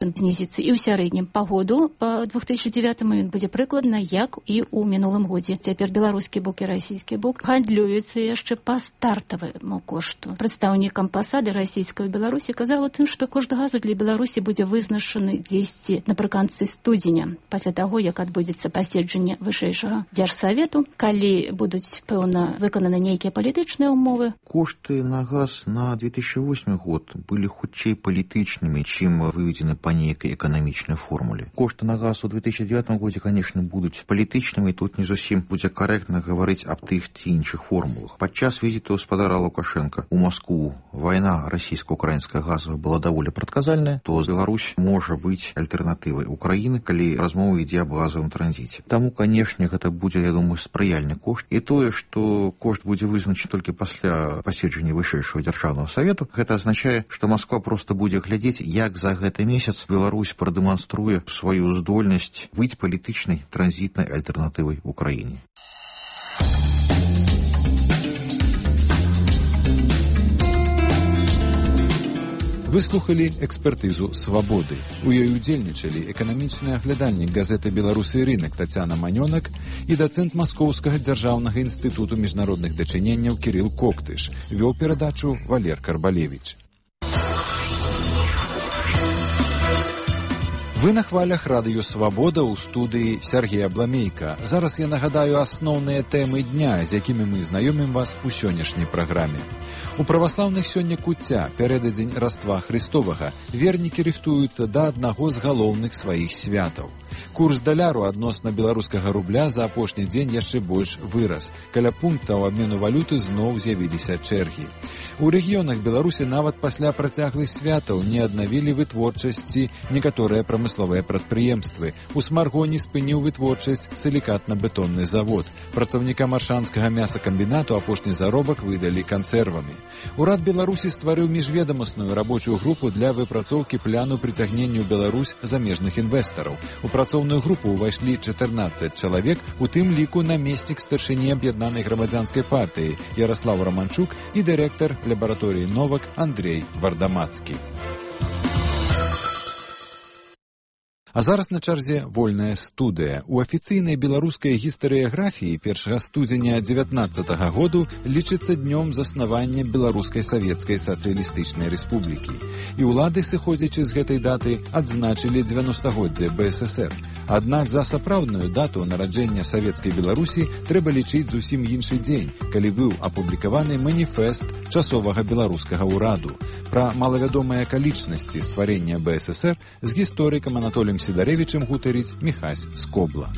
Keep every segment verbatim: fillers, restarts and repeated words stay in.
Ён знізіцца і ў сярэднім па году, па две тысячи девятому ён будзе прыкладна, як і ў мінулым годзе. Цяпер беларускі бок і расійскі бок гандлююцца яшчэ па стартаваму кошту. Прадстаўнік амбасады расійскай у Беларусі казаў тым, што кошт газу для Беларусі будзе вызначаны дзесьці напрыканцы студзеня, пасля таго, як адбудзецца паседжанне вышэйшага дзяржсавету, калі будуць, пэўна, выкананы нейкія палітычныя ўмовы. Кошты на газ на две тысячи восьмы год былі хутчэй палітычнымі, чым выведзены па нейкай эканамічнай формуле. Кошты на газ у две тысячи девятом годзе, конечно, будуць палітычнымі, тут не зусім будзе карэктна гаварыць аб тых ці іншых формулах. Падчас візіту гаспадара Лукашенка ў Маскву вайна расійска-украінская газовая была даволі прадказальная, то Беларусь можа быць альтэрнатывай Украіны, калі размова ідзе аб газовым транзіце. Таму, канешне, гэта будзе, я думаю, спрыяльны кошт. І тое, што кошт будзе вызначаны толькі пасля паседжання вышэйшага дзяржаўнага савету, гэта азначае, што Масква проста будзе глядзець, як за гэты месяц Беларусь прадэманструе сваю здольнасць быць палітычнай транзітнай альтэрнатывай Украіне. Выслухалі экспертызу «Свабоды». У ёй удзельнічалі эканамічны аглядальнік газеты «Беларусы і рынак» Тацяна Манёнак і дацэнт Маскоўскага дзяржаўнага інстытуту міжнародных дачыненняў Кірыл Коктыш. Вёў перадачу Валер Карбалевіч. Вы на хвалях радыё «Свабода» ў студыі Сергея Бламейка. Зараз я нагадаю асноўныя тэмы дня, з якімі мы знаёмім вас у сённяшняй праграме. У праваслаўных сёння куцця, пярэдадзень Раства Христовага, вернікі рыхтуюцца да аднаго з галоўных сваіх святаў. Курс даляру адносна беларускага рубля за апошні дзень яшчэ больш вырас. Каля пунктаў абмену валюты зноў з'явіліся чэргі. У рэгіёнах Беларусі нават пасля працяглых святаў не аднавілі вытворчасці некаторыя прамысловыя прадпрыемствы. У Смаргоні спыніў вытворчасць сілікатна-бетонны завод. Працаўнікам аршанскага мясакамбінату апошні заробак выдалі кансервамі. Урад Беларусі стварыў міжведамасную рабочую групу для выпрацоўкі пляну прыцягнення ў Беларусь замежных інвестараў. У працоўную групу ўвайшлі чатырнаццаць чалавек, у тым ліку намеснік старшыні аб'яднанай грамадзянскай партыі Яраслаў Раманчук і дырэктар лабараторыі «Новак» Андрей Вардамацкі. А зараз на чарзе вольная студыя. У афіцыйнай беларускай гістарыяграфіі першага студзеня дзевятнаццатага году лічыцца днём заснавання Беларускай савецкай сацыялістычнай рэспублікі. І ўлады, сыходзячы з гэтай даты, адзначылі дзевяностагоддзе бэ эс эсэр. Аднак за сапраўдную дату нараджэння савецкай Беларусі трэба лічыць зусім іншы дзень, калі быў апублікаваны маніфест часовага беларускага ўраду. Пра малавядомыя акалічнасці стварэння бэ эс эсэр з гісторыкам Анатоліем Сідарэвічым гутарыць Міхась Скобла.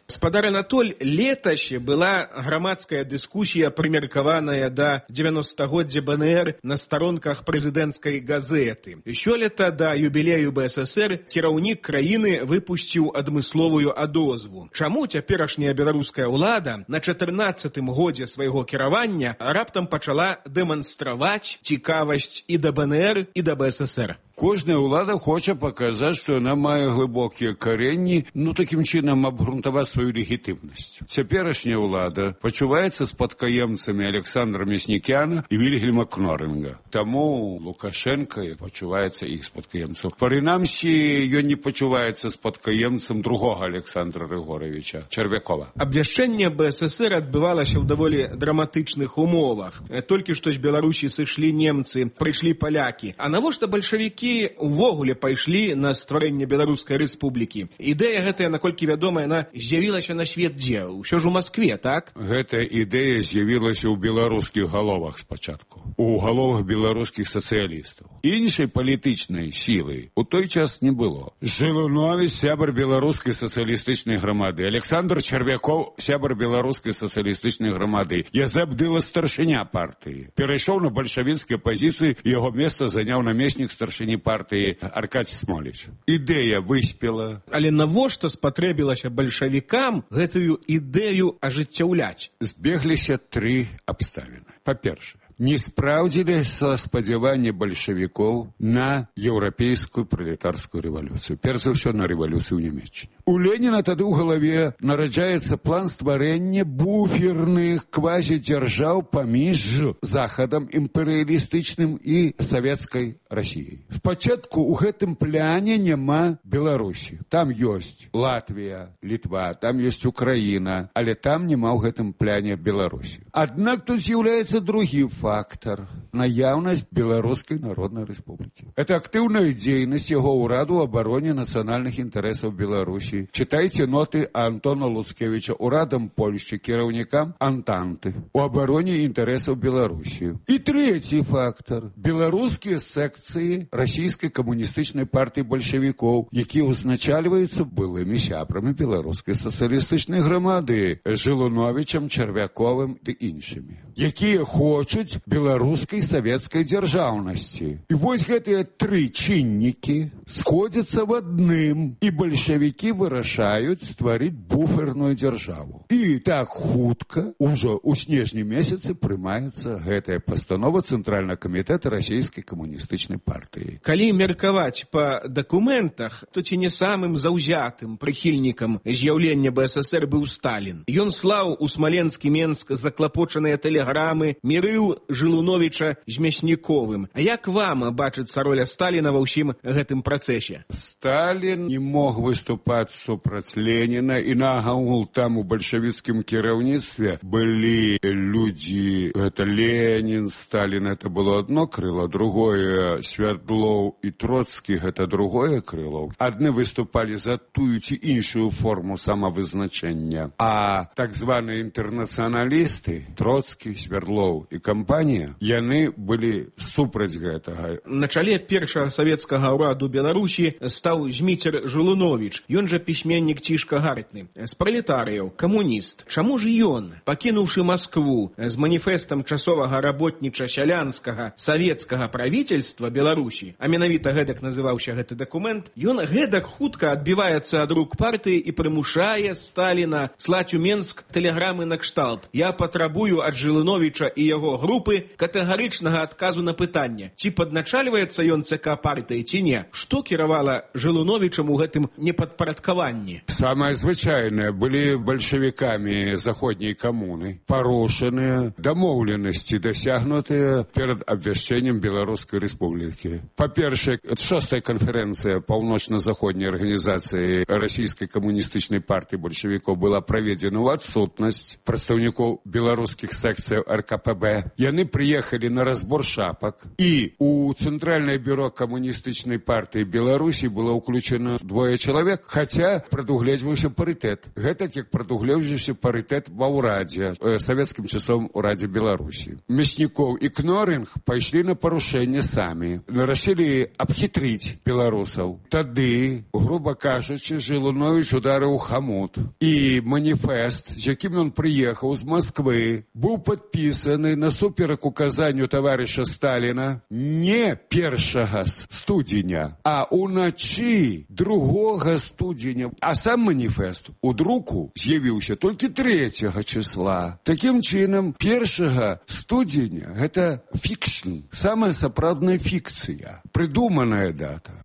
Гаспадар Анатоль, летась была грамадская дыскусія, прымеркаваная да дзевяностагоддзя бэ эн эр на старонках прэзідэнцкай газеты. Сёлета да юбілею бэ эс эсэр кіраўнік краіны выпусціў адмысловую адозву. Чаму цяперашняя беларуская ўлада на чатырнаццатым годзе свайго кіравання раптам пачала дэманстраваць цікавасць і да бэ эн эр, і да бэ эс эс эр? Кожная ўлада хоча паказаць, што яна мае глыбокія каренні, ну такім чынам абгрунтаваць сваю легітымнасць. Цяперашняя ўлада пачуваецца спадкаемцамі Александра Мяснікяна і Вільгельма Кнорінга. Таму Лукашенка пачуваецца іх спадкаемцам. Прынамсі, ён не пачуваецца спадкаемцам другога Александра Григоровича Чарвякова. Абвяшчэнне бэ эс эс эр адбывалася ў даволі драматычных умовах. Толькі што з Беларусі сышлі немцы, прыйшлі палякі. А навошта бальшавікі увогуле пайшлі на стварэнне Беларускай рэспублікі? Ідэя гэтая, наколькі вядома, яна з'явілася на свет дзе? Усё ж у Маскве, так? Гэтая ідэя з'явілася ў беларускіх галовах спачатку. У галовах беларускіх сацыялістаў. Іншай палітычнай сілы у той час не было. Жылунович, сябар беларускай сацыялістычнай грамады. Александр Чарвяков, сябар беларускай сацыялістычнай грамады. Язэп Дыла, старшыня партыі. Перайшоў на бальшавіцкія пазіцыі, яго месца заняў намеснік старшыні партыі Аркадзь Смоліч. Ідэя выспела. Але навошта спатрэбілася бальшавікам гэтую ідэю ажыццяўляць? Збегліся тры абставіны. Па-першае, не спраўдзіліся спадзяванні бальшавікоў на еўрапейскую пралетарскую рэвалюцыю. Перш за ўсё, на рэвалюцыю ў Нямецчыне. У Леніна тады ў галаве нараджаецца план стварэння буферных квазідзяржаў паміж захадам імперыялістычным і савецкай Расіяй. Спачатку ў гэтым пляне няма Беларусі. Там ёсць Латвія, Літва, там ёсць Украіна, але там няма ў гэтым пляне Беларусі. Аднак тут з'яўляецца другі фактор – наяўнасць Беларускай Народнай Рэспублікі. Это актыўная дзейнасць яго ўраду ў абароне нацыянальных інтарэсаў Беларусі. Чытайце ноты Антона Луцкевіча ўрадам Польшчы, кіраўнікам Антанты у абароне інтарэсаў Беларусі. І трэці фактор – беларускія секцыі расійскай камуністычнай партыі бальшавікоў, якія узначальваюцца былымі сябрамі беларускай сацыялістычнай грамады Жылуновічам, Чарвяковым ды іншымі, якія хочуць беларускай савецкай дзяржаўнасці. І вось гэтыя тры чыннікі сходзяцца в адным, і бальшавікі вырашаюць стварыць буферную дзяржаву. І так хутка, ужо ў снежні месяцы, прымаецца гэтая пастанова Цэнтральнага камітэта расійскай камуністычнай партыі. Калі меркаваць па дакументах, то ці не самым заўзятым прыхільнікам з'яўлення БССР быў Сталін. Ён слаў у Смаленскі Менск заклапочаныя тэлеграмы, мірыў Жылуновіча з Мясніковым. А як вам бачыцца роля Сталіна ва ўсім гэтым працэсе? Сталін не мог выступаць супраць Леніна, і нагагул там у бальшавіцкім кіраўніцтве былі людзі, гэта Ленін, Сталін, это было одно крыло, другое Свердлоў і Троцкі, гэта другое крыло. Адны выступалі за тую ці іншую форму самавызначэння, а так званыя інтэрнацыяналісты, Троцкі, Свердлоў і кампанія, яны былі супраць гэтага. На чале першага савецкага ўраду Беларусі стаў Зміцер Жылуновіч. Ён жа пісьменнік цішка гартны. З пралетарыяў, камуніст. Чаму ж ён, пакінуўшы Маскву з маніфестам часовага работніча-сялянскага савецкага правительства Беларусі, а менавіта гэтак называўся гэты дакумент, ён гэтак хутка адбіваецца ад рук партыі і прымушае Сталіна слаць у Менск тэлеграмы на кшталт: «Я патрабую ад Жылуновіча і яго групы катэгарычнага адказу на пытанне, ці падначальваецца ён ЦК партыі, ці не». Што кіравала Жылуновічам у гэтым непадпарадкаванні? Самае звычайнае, былі бальшавікамі заходняй камуны парушаныя дамоўленасці, дасягнутыя перад абвяшчэннем Беларускай Рэспублікі. Па-першае, шостая канферэнцыя паўночна-заходняй арганізацыі расійскай камуністычнай партыі бальшавікоў была праведзена ў адсутнасць прадстаўнікоў беларускіх секцыяў эр ка пэ бэ. Яны прыехалі на разбор шапак, і у Цэнтральнае бюро камуністычнай партыі Беларусі было ўключена двое чалавек, хаця прадугледжваўся парытэт. Гэтак як прадугледжваўся парытэт ва ўрадзе, э, савецкім часом урадзе Беларусі. Мяснікоў і Кноринг пайшлі на парушэнне самі, рашылі абхітрыць беларусаў. Тады, груба кажучы, Жылуновіч ударыў хамут, і маніфест, з якім ён прыехаў з Масквы, быў падпісаны насуперак указанню таварыша Сталіна не першага студзеня, а уначы другога студзеня. А сам маніфест у друку з'явіўся толькі трэцяга числа. Такім чынам, першага студзеня – гэта фікшн, самая сапраўдная фікцыя, прыдуманая дата.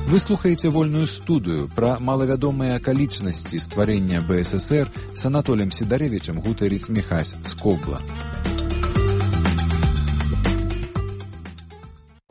Вы слухаеце вольную студыю пра малавядомыя акалічнасці стварэння БССР з Анатолем Сідарэвічам гутарыць Міхась з Кобла.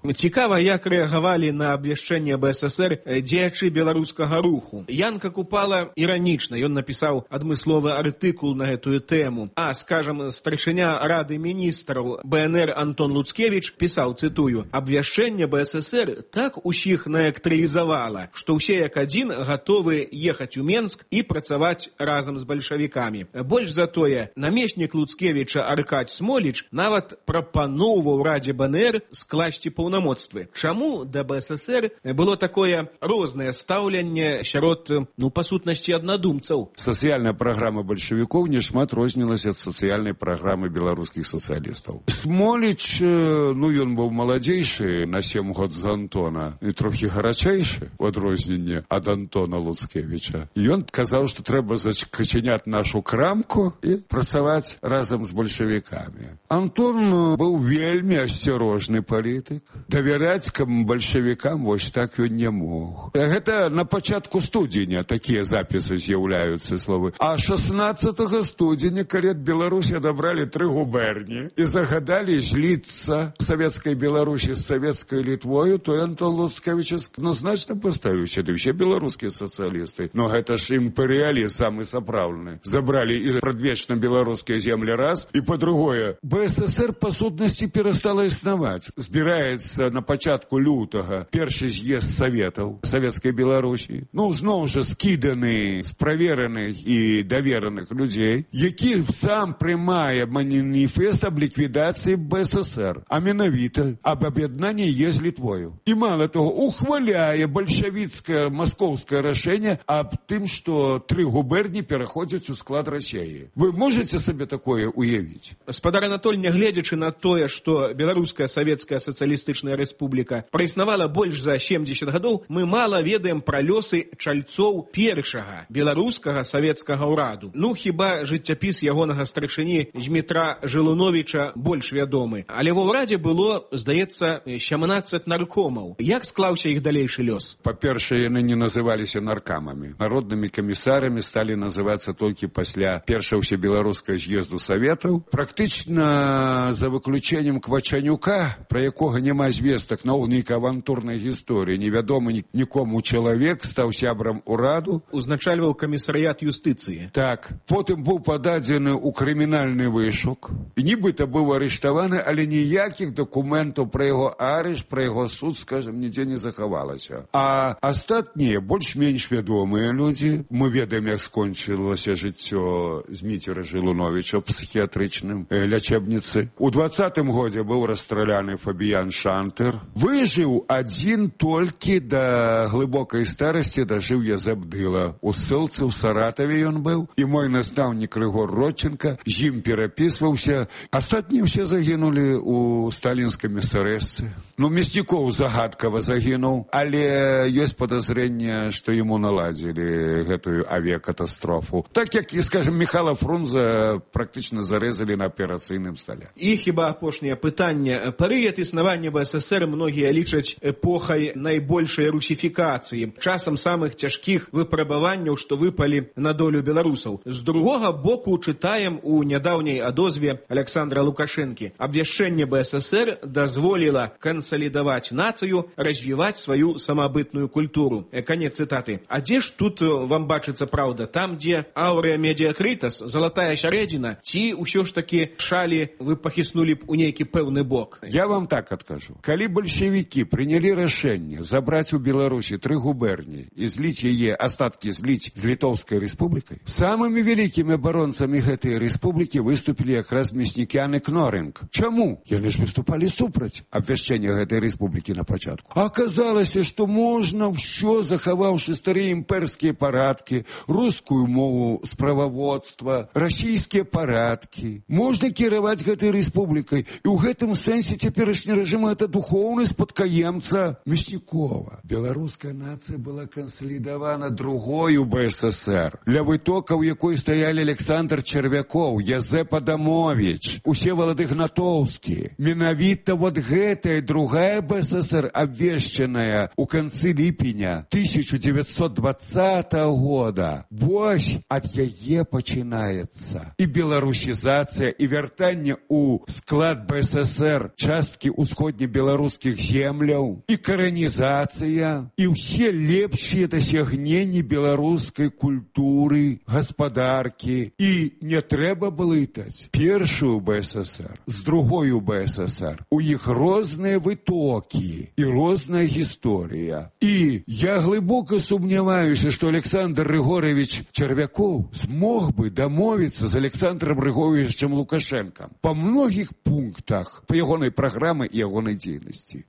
Цікава, як рэагавалі на абвяшчэнне БССР дзеячы беларускага руху. Янка Купала іранічна, ён напісаў адмысловы артыкул на гэтую тэму. А, скажам, старшыня Рады міністраў бэ эн эр Антон Луцкевіч пісаў, цытую: «Абвяшчэнне БССР так усіх наэлектралізавала, што ўсе як адзін гатовы ехаць у Менск і працаваць разам з бальшавікамі. Больш за тое, намеснік Луцкевіча Аркадзь Смоліч нават прапаноўваў Радзе бэ эн эр скласці паўнамоцтвы паўнамоцтвы. Чаму да БССР было такое рознае стаўленне сярод, ну, па сутнасці, аднадумцаў? Сацыяльная праграма бальшавікоў не шмат рознілася ад сацыяльнай праграмы беларускіх сацыялістаў. Смоліч, ну, ён быў маладзейшы на сем год з Антона і трохі гарачэйшы у адрозненне ад Антона Луцкевіча. Ён казаў, што трэба зачыняць нашу крамку і працаваць разам з бальшавікамі. Антон быў вельмі асцярожны палітык. Давяраць бальшавікам вось так ён не мог. Гэта на пачатку студзеня такія запісы з'яўляюцца словы. А шаснаццатага студзеня, калі ад Беларусі адабралі тры губерні і загадалі зліцца савецкай Беларусі з савецкай Літвою, то Антон Луцкевіч адназначна паставіўся, ды ўсе беларускія сацыялісты. Но гэта ж імперыялізм самы сапраўдны. Забралі і прадвечна беларускія землі раз, і па-другое, БССР па сутнасці перастала існаваць. Збіраецца на пачатку лютага першы з'езд саветаў савецкай Беларусі. Ну, зноў жа скіданы з правераных і давераных людзей, які сам прымае маніфест аб ліквідацыі БССР, а менавіта аб аб'яднанні е з Літвою. І мала того, ухваляе бальшавіцкае маскоўскае рашэнне аб тым, што тры губерні пераходзяць у склад Расіі. Вы можете сабе такое уявіць? Спадар Анатоль, нягледзячы на тое, што Беларуская Савецкая Сацыялістычная Рэспубліка праіснавала больш за семдзесят гадоў, мы мала ведаем пра лёсы чальцоў першага беларускага савецкага ўраду. Ну, хіба жыццяпіс ягонага старшыні Змітра Жылуновіча больш вядомы. Але ва ўрадзе было, здаецца, сямнаццаць наркомаў. Як склаўся іх далейшы лёс? Па-першае, яны не называліся наркамамі. Народнымі камісарамі сталі называцца толькі пасля першага ўсебеларускага з'езду саветаў. Практычна за выключэннем Квачанюка, пра якога няма звестак на нейкай авантурнай гісторыі, невядомы нікому чалавек стаў сябрам ураду. Узначальваў камісарыят юстыцыі. Так. Потым быў пададзены ў крымінальны вышук. І нібыта быў арыштаваны, але ніякіх дакументаў пра яго арышт, пра яго суд, скажем, нідзе не захавалася. А астатнія, больш-менш вядомыя людзі, мы ведаем, як скончылася жыццё Зміцера Жылуновіча ў псіхіятрычным лячэбніцы. У двадцатым годзе быў расстраляны Фабіян Шантер. Выжыў адзін толькі да глыбокай старасці, дажыў Язабдыла. У ссылцы ў Саратаве ён быў, і мой настаўнік Рыгор Родченка з ім перапісваўся. Астатнія ўсе загінулі ў сталінскай эсэрэсцы. Ну, Мяснікоў загадкава загінуў, але ёсць падазрэнне, што яму наладзілі гэтую авіякатастрофу. Так як, скажем, Михайла Фрунзе практычна зарэзалі на аперацыйным стале. І хіба апошняе пытанне. Перыяд існавання БССР многія лічаць эпохай найбольшай русіфікацыі, часам самых цяжкіх выпрабаванняў, што выпалі на долю беларусаў. З другога боку чытаем у нядаўняй адозве Александра Лукашэнкі. Абвяшчэнне БССР дазволіла кансалідаваць нацыю, развіваць сваю самабытную культуру. Канец цытаты. А дзе ж тут вам бачыцца праўда? Там, дзе аўрэа медіакрытас, залатая сярэдзіна, ці ўсё ж такі шалі вы пахіснулі б у нейкі пэўны бок? Я вам так адкажу. Калі бальшавікі прынялі рашэнне забраць у Беларусі тры губерні і зліць яе, астаткі зліць з Літоўскай рэспублікай, самымі вялікімі абаронцамі гэтай рэспублікі выступілі якраз Мяснікян і Кнорынг. Чаму? Яны ж выступалі супраць абвяшчэння гэтай рэспублікі на пачатку. А аказалася, што можна ўсё, захаваўшы старыя імперскія парадкі, рускую мову справаводства, расійскія парадкі. Можна кіраваць гэтай рэспублікай. І ў гэтым сэнсе цяперашні рэжым гэта духоўны спадкаемца Мяснікова. Беларуская нацыя была кансалідавана другою БССР, ля вытокаў якой стаялі Александр Чарвякоў, Язэп Адамовіч, Усевалад Ігнатоўскі. Менавіта вот гэтая другая БССР, абвешчаная ў канцы ліпеня тысяча дзевяцьсот двадцатага года, вось ад яе пачынаецца і беларусізацыя, і вяртанне ў склад БССР часткі ўсходнебеларускіх земляў, і каранізацыя, і ўсе лепшыя дасягненні беларускай культуры, гаспадаркі. І не трэба блытаць першую БССР з другою БССР. У іх розныя вытокі і розная гісторыя. І я глыбока сумняваюся, што Александр Рыгорович Чарвякоў змог бы дамовіцца з Александром Григорьевичем Лукашенком па многіх пунктах па ягонай праграмы і ягонай дзейнасці.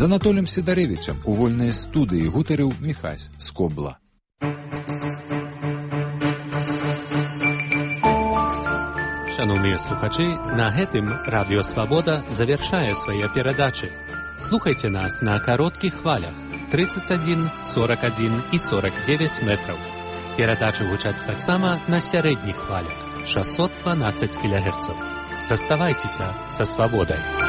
З Анатоліем Сідарэвічам у вольнай студыі гутарыў Міхась Скобла. Шановныя слухачы, на гэтым Радыё Свабода завяршае свае перадачы. Слухайце нас на кароткіх хвалях тридцать один, сорок один і сорок девять метраў. Перадачы гучаць таксама на сярэдніх хвалях шестьсот двенадцать кілогерцаў. Заставайцеся са свабодай.